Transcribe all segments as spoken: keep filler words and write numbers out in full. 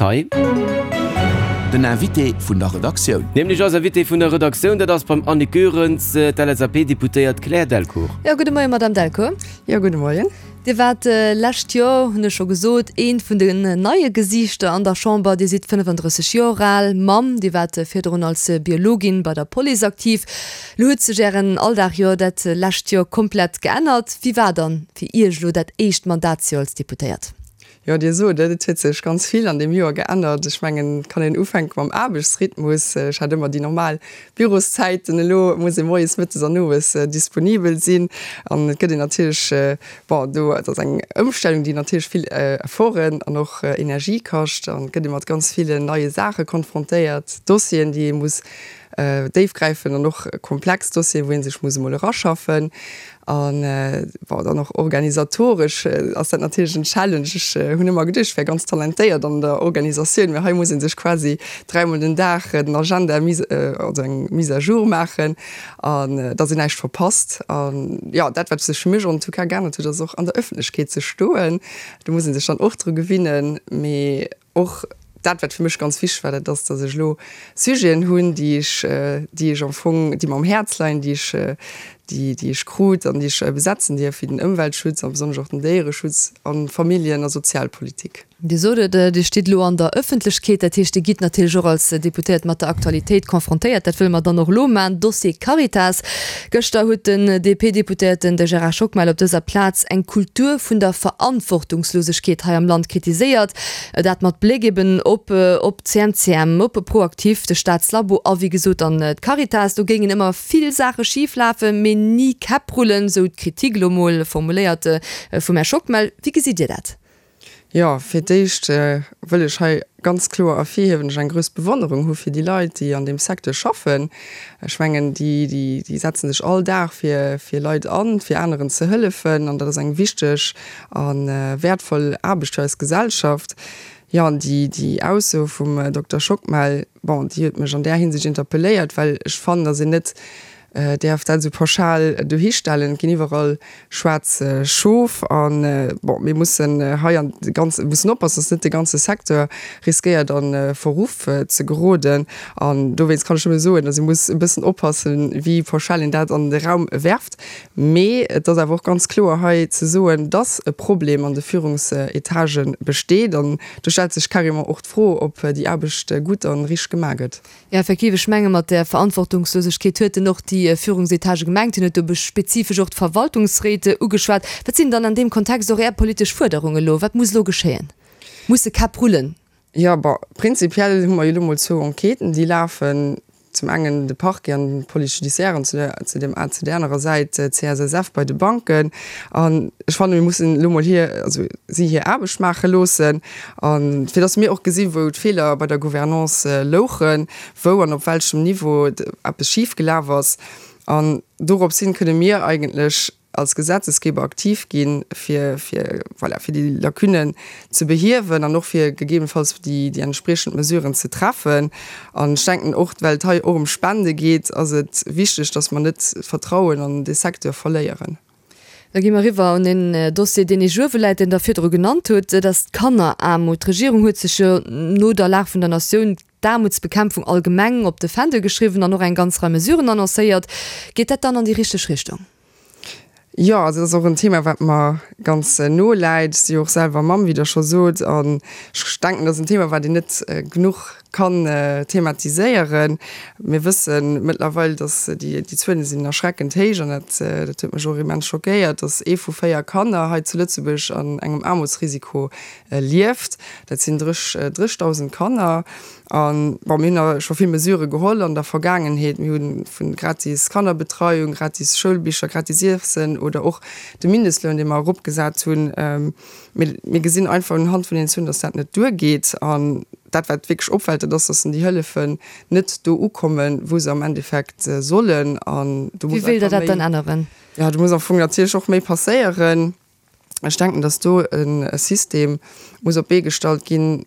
hei. Den Invité vun der Redaktioun. Nämlech eis Invitée vun der Redaktioun, dat ass beim Annick Goerens, d'LSAP-Deputéiert Claire Delcourt. Jo, gudde Moien, Madame Delcourt. Jo, gudde Moien. Dir waart lescht Joer, hunn ech scho gesot, eent vun den neie Gesiichter an der Chamber. Dir sidd fënnefandrësseg Joer al, Mamm, Dir waart virdrun als Biologin bei der Police aktiv. Lo huet sech Ären Alldag jo dat lescht Joer komplett geännert. Wéi war dann fir Iech elo dat éischt Mandatsjoer als Deputéiert? Jo, Dir sot et, et huet sech ganz vill an deem Joer geännert. Ech mengen, et kann een ufänke mam Aarbechtsrhythmus. Ech hat ëmmer déi normal Büroszäiten. Elo muss ee moies, mëttes an owes disponibel sinn. An et gëtt een natierlech, bon, do, et ass eng Ëmstellung, déi natierlech vill Efforten an och Energie kascht. An et gëtt ee mat ganz villen neie Saache konfrontéiert, Dossieren, déi ee muss déifgräifend an och komplex Dossieren, wou ee sech muss emol eraschaffen. An bon, dann och organisatoresch ass dat natierlech en Challenge. Ech hunn ëmmer geduecht, ech wär ganz talentéiert an der Organisatioun, mä hei muss ee sech quasi dräimol den Dag den Agenda mise, also eng Mise à jour maachen, an dass een näischt verpasst. An jo, dat wat sech fir mech en tout cas geännert huet, ass och an der Ëffentlechkeet ze stoen. Do muss ee sech dann och dru gewinnen. Mee och dat, wat fir mech ganz wichteg war, dat ass, dass ech elo Sujeten hunn, déi ech, déi ech am Fong, déi mer um Häerz leien, déi ech, déi, déi ech krut an déi ech besetzen dierf, wéi den Ëmweltschutz a besonnesch och den Déiereschutz a Familljen a Sozialpolitik. Dir sot et, Dir stitt elo an der Ëffentlechkeet, dat heescht, Dir gitt natierlech och als Deputéiert mat der Aktualitéit konfrontéiert. Dat wëlle mer dann och elo maachen. Dossier Caritas. Gëschter huet den D P-Deputéierten, de Gérard Schockmel, op dëser Plaz eng Kultur vun der Verantwortungslosegkeet hei am Land kritiséiert. Dat mat Bléck eben op op d'C M C M, op ProActif, de Staatslabo a wéi gesot dann d'Caritas. Do géingen ëmmer vill Saache schif lafen, mee ni Käpp rullen, sou d'Kritik elo mol formuléiert vum Här Schockmel. Wéi gesitt Dir dat? Jo, fir d'éischt wëll ech hei ganz kloer ervirhiewen, dass ech eng grouss Bewonnerung hu fir déi Leit, déi an deem Secteur schaffen. Ech mengen, déi, déi, déi setzen sech all Dag fir, fir Leit an, fir aneren ze hëllefen, an dat ass eng wichteg a wäertvoll Aarbecht fir eis Gesellschaft. Jo, an déi, déi Ausso vum Dokter Schockmel, bon, déi huet mech an där Hinsicht interpelléiert, well ech fannen, dass een net däerf dat esou pauschal dohistellen. Et ginn iwwerall schwaarz Schof an, bon, mir mussen hei an de ganze, mussen oppassen, dass net de ganze Secteur riskéiert a Verruff ze geroden. An dowéinst kann ech nëmme soen, dass ee muss e bëssen oppassen, wéi pauschal een dat an de Raum werft. Mee et ass awer och ganz kloer hei ze soen, dass e Problem an de Führungsetage besteet. An do stellt sech carrément och d'Fro, ob déi Aarbecht gutt a richteg gemaach gëtt. Jo, effektiv, ech menge mat där Verantwortungslosegkeet huet en och déi Führungsetage gemengt. Hien huet do spezifesch och d'Verwaltungsréit ugeschwat. Wat sinn dann an deem Kontext och Är politesch Fuerderungen elo? Wat muss elo geschéien? Musse Käpp rullen? Jo, bon, prinzipiell hu mer jo elo mol zwou Enquêten, déi lafen. Zum engen de Parquet an d'Police judiciaire an zu der, zu dem, zu där anerer Säit d'C S S F bei de Banken. An ech fannen, mir mussen elo mol hir, also si hir Aarbecht maache loossen, a fir datt mir och gesinn, wou d'Feeler bei der Gouvernance louchen, wou an op welchem Niveau eppes schifgelaf ass. An dorops hin kënne mir eigentlech als Gesetzesgeber aktiv ginn, fir, fir, voilà, fir déi Lacunnen ze behiewen an och fir gegebenenfalls déi, déi entspriechend Mesuren ze treffen. An ech denken och, well et hei och ëm Spende geet, ass et wichteg, dass mer net d'Vertrauen an dee Secteur verléieren. Da gi mer eriwwer un en Dossier, deen Iech uewe läit, deen Der virdru genannt hutt, dat ass d'Kanneraarmut. D'Regierung huet sech jo no der Lag vun der Natioun d'Aarmutsbekämpfung allgemeng op de Fändel geschriwwen an och eng ganz Rei Mesuren annoncéiert. Geet dat dann an déi richteg Richtung? Jo, also dat ass och en Thema, wat mer ganz no läit. Ech si jo och selwer Mamm, wéi Der scho sot, an ech denken, dat ass en Thema, wat een net genuch kann thematiséieren. Mir wësse mëttlerweil, datt déi déi Zuele sinn erschreckend héich an dat dat huet mech och immens schockéiert, datt ee vu véier Kanner hei zu Lëtzebuerg an engem Aarmutsrisiko lieft. Dat sinn dréchdausend Kanner. An, bon, mir hunn a scho vill Mesurë geholl an der Vergaangenheet. Mir hu vu gratis Kannerbetreiung, gratis Schoulbicher, gratis Iessen oder och de Mindestloun, dee mer eropgesat hunn. Mee mir gesinn einfach unhand vun den Zuelen, dass dat net duergeet. An dat, wat wierklech opfält, dat ass, dass déi Hëllefen net do ukommen, wou se am Endeffekt sollen. An do Wéi muss wéilt Der einfach dat dann méi, änneren? ja, do muss am Fong natierlech och méi passéieren. Ech denken, dass do e System muss op d'Bee gestallt ginn,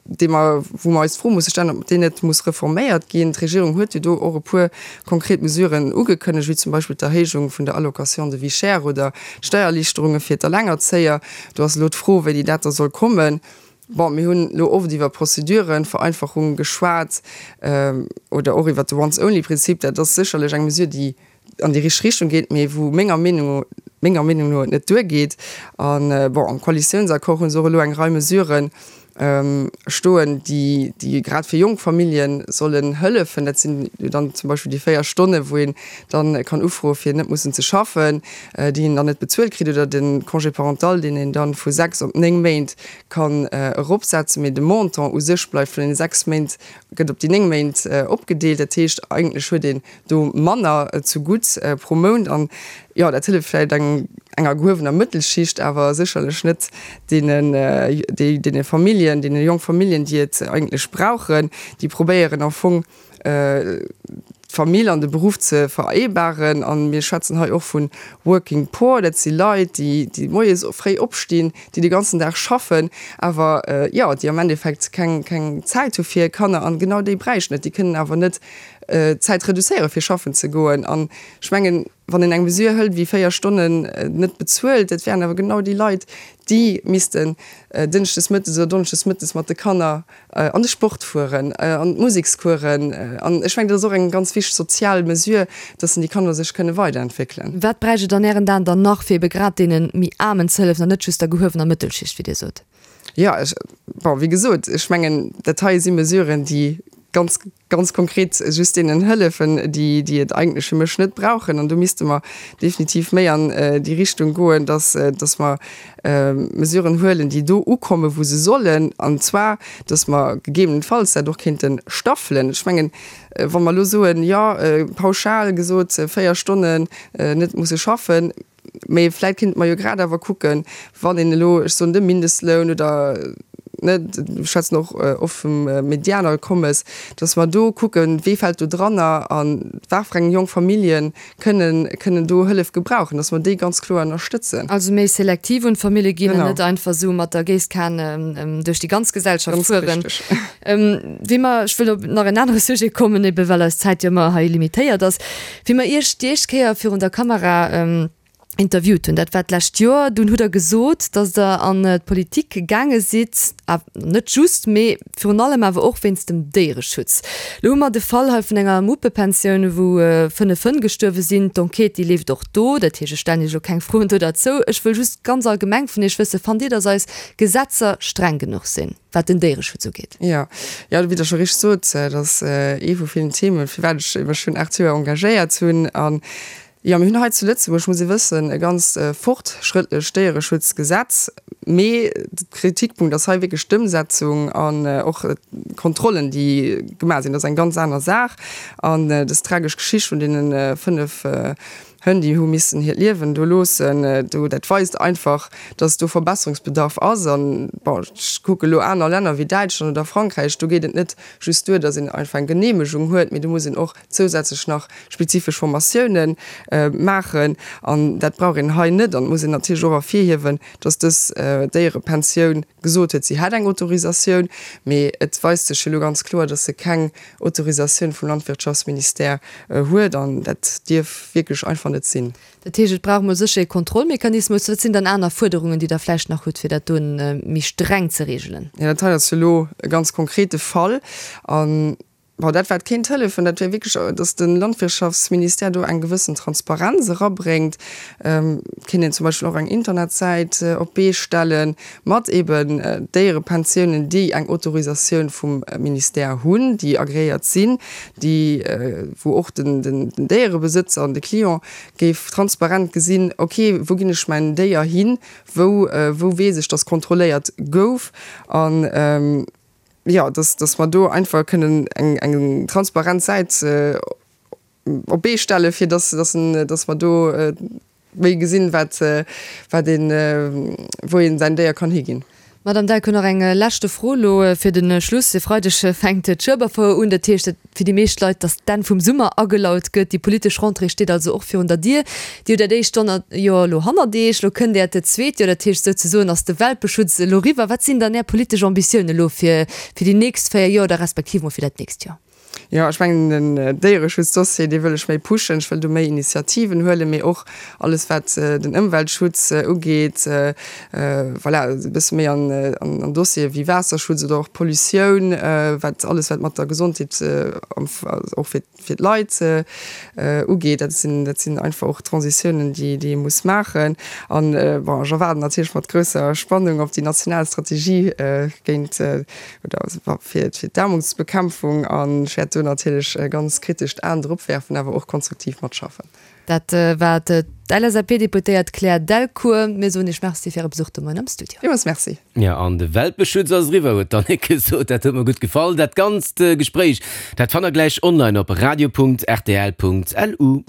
dee mer, wou mer eis d'Fro musse stellen, ob deen net muss reforméiert ginn. D'Regierung huet jo do och e puer konkret Mesuren ugekënnegt, wéi zum Beispill d'Erhéijung vun der Allocation de vie chère oder d'Steiererliichterunge fir d'Allengerzéier. Do ass elo d'Fro, wéini dat da soll kommen. Bon, mir hunn elo oft iwwer Prozedurenvereinfachung geschwat oder och iwwert de Once-only-Prinzip. Dat ass sécherlech eng Mesure, déi an déi richteg Richtung geet, mee wou menger Meenung, menger Meenung no et net duergeet. An, bon, am Koalitiounsaccord hu se och elo eng Rei Mesuren stoen, déi, déi grad fir jonk Famillje sollen hëllefen. Dat sinn jo dann zum Beispill déi véier Stonne wou een dann kann ufroe fir net mussen ze schaffen, déi een dann net bezuelt kritt, oder de Congé parental, deen een dann vu sechs op néng Méint kann eropsetzen, mee de Montant u sech bleift vun deene sechs Méint, gëtt op déi néng Méint opgedeelt. Dat heescht, eigentlech huet een do manner zegutt pro Mount. An jo, dat hëlleft vläicht eng enger gehuewener Mëttelschicht, awer sécherlech net deenen, déi, deene Familljen, deene jonk Familljen, déi et eigentlech brauchen, déi probéieren am Fong d'Famill an de Beruff ze vereebaren. A mir schwätzen hei och vu Working Poor, dat si Leit, déi, déi moies fréi opstinn, déi de ganzen Dag schaffen, awer jo, déi am Endeffekt keng, keng Zäit hu fir hir Kanner. An genau déi bräichten et. Déi kënnen awer net d'Zäit reduzéieren, fir schaffen ze goen. An ech mengen, wann een eng Mesure hëlt wéi véier Stonnen net bezuelt, dat wären awer genau déi Leit, déi missten dënschdes mëttes oder donneschdes mëttes mat de Kanner an de Sport fueren, an d'Musekscoursen. An ech mengen, dat ass och eng ganz wichteg sozial Mesure, dass déi Kanner sech kënne weiderentwéckelen. Wat bräicht et an Ären Aen dann nach, fir ebe grad deene méi Aarmen ze hëllefen an net just der gehuewener Mëttelschicht, wéi Dir sot? Jo, ech, bon, wéi gesot, ech mengen, dat hei si Mesuren, déi ganz, ganz konkret just deenen hëllefen, déi, déi et eigentlech fir mech net brauchen. An do misste mer definitiv méi an déi Richtung goen, dass, dass mer Mesuren huelen, déi do ukommen, wou se sollen. An zwar, dass mer gegebenenfalls dat och kéinte staffelen. Ech mengen, wa mer elo soen, jo, pauschal gesot, véier Stonnen net musse schaffen, mee vläicht kéinte mer jo grad awer kucken, wann een elo, ech soen, de Mindestloun oder, ne, mir schwätzen och oft vum Medianakommes, dass mer do kucken, wee fält do dranner a wat fir eng jonk Famillje kënnen, kënnen do Hëllef gebrauchen, dass mer déi ganz kloer ënnerstëtzen. Also méi selektiv un d'Famillje ginn an net einfach esou mat der Géisskan duerch déi ganz Gesellschaft fueren. Ganz richteg. Wéi mer, ech wëll op nach en anere Sujet kommen, ebe well eis Zäit jo ëmmer hei limitéiert ass, wéi mer Iech déi éischt Kéier virun der Kamera interviewt hunn, dat war d'lescht Joer, dunn hutt Der gesot, datt Der an d'Politik gaange sidd, net just, mee virun allem awer och wéinst dem Déiereschutz. Elo hu mer de Fall hei vun enger Muppepensioun, wou fënnef Hënn gestuerwe sinn. D'Enquête, déi leeft och do. Dat heescht, ech stellen Iech elo keng Froen do derzou. Ech wëll just ganz allgemeng vun Iech wëssen, Fannt Dir, datt eis Gesetzer streng genuch sinn, wat den Déiereschutz ugeet? Jo, jo, wéi Der scho richteg sot, dat ass ee vu villen Themen, firwat ech mech schonn aacht Joer engagéiert hunn. An Jo, mir hunn hei zu Lëtzebuerg, muss ee wëssen, e ganz fortschrëttlecht Déiereschutzgesetz. Mee de Kritikpunkt ass hei wierklech d'Ëmsetzung an och d'Kontrollen, déi gemaach sinn. Dat ass eng ganz aner Saach. An dës tragesch Geschicht vun deene fënnef Hënn, déi hu missen hiert Liewen do loossen, do, dat weist einfach, dass do Verbesserungsbedarf ass. An, bon, ech kucke elo aner Länner wéi Däitschland oder Frankräich, do geet et net just duer, dass een einfach eng Geneemegung huet, mee do muss een och zousätzlech nach spezifesch Formatioune maachen an dat brauch een hei net. An et muss een natierlech och ervirhiewen, dass dës Déierepensioun gesot huet, si hätt eng Autorisatioun, mee et weist sech jo elo ganz kloer, dass se keng Autorisatioun vum Landwirtschaftsministère huet an dat dierf wierklech einfach net sinn. Dat heescht, et brauch emol sécher ee Kontrollmechanismus. Wat sinn dann aner Fuerderungen, déi Der vläicht nach hutt, fir dat do méi streng ze reegelen? Jo, dat hei ass jo elo e ganz konkrete Fall an Bon, dat wat kéint hëllefen, dat wär wierklech, datt de Landwirtschaftsministère do eng gewëssen Transparenz erabréngt. Et kéint een zum Beispill och eng Internetsäit op d'Bee stelle mat eben Déierepensiounen, déi eng Autorisatioun vum Ministère hunn, déi agréiert sinn, déi, wou och den Déierebesëtzer an de Client géif transparent gesinn, ok, wou ginn ech mäin Déier hin, wou, wou weess ech, datt kontrolléiert gouf. An jo, dass, dass mer do einfach kënnen eng, eng transparent Säit op d'Bee stellen, fir dass, dass, dass mer do méi gesinn, wat, wat een, wou een säin Déier kann higinn. Madame Delcourt, nach eng leschte Fro elo fir de Schluss. E Freideg fänkt d'Schueberfouer un. Dat heescht fir déi meescht Leit, dass d'Enn vum Summer agelaut gëtt. Déi politesch Rentrée steet also och virun der Dier. Dir hutt dat éischt Joer elo hannert Iech, elo kënnt Äert zweet Joer. Dat heescht souzesoen ass de Welpeschutz elo riwwer. Wat sinn dann Är politesch Ambitiounen elo fir fir déi nächst véier Joer oder respektiv mol fir dat nächst Joer? Jo, ech mengen den Déiereschutzdossier, dee wëll ech méi pushen. Ech wëll do méi Initiativen huelen, mee och alles wat den Ëmweltschutz ugeet, voilà, e bësse méi an an Dossiere wéi Waasserschutz oder och Pollutioun, wat alles wat mat der Gesondheet och fir fir d'Leit ugeet. Dat sinn dat sinn einfach och Transitiounen, déi déi ee muss maachen. An bon, ech erwaarden natierlech mat grousser Spannung op déi national Strategie géint oder fir d'Aarmutsbekämpfung an ech wäert do natierlech e ganz kritescht Aen drop werfen, awer och konstruktiv matschaffen. Dat war d'LSAP-Deputéiert Claire Delcourt. Mir soen Iech Merci fir Äre Besuch de Moien am Studio. Villmools Merci. Jo, an de Welpeschutz ass eriwwer, huet d'Annick gesot. Dat huet mer gutt gefall. Dat ganzt Gespréich, dat fannt der gläich online op radio.rtl.lu.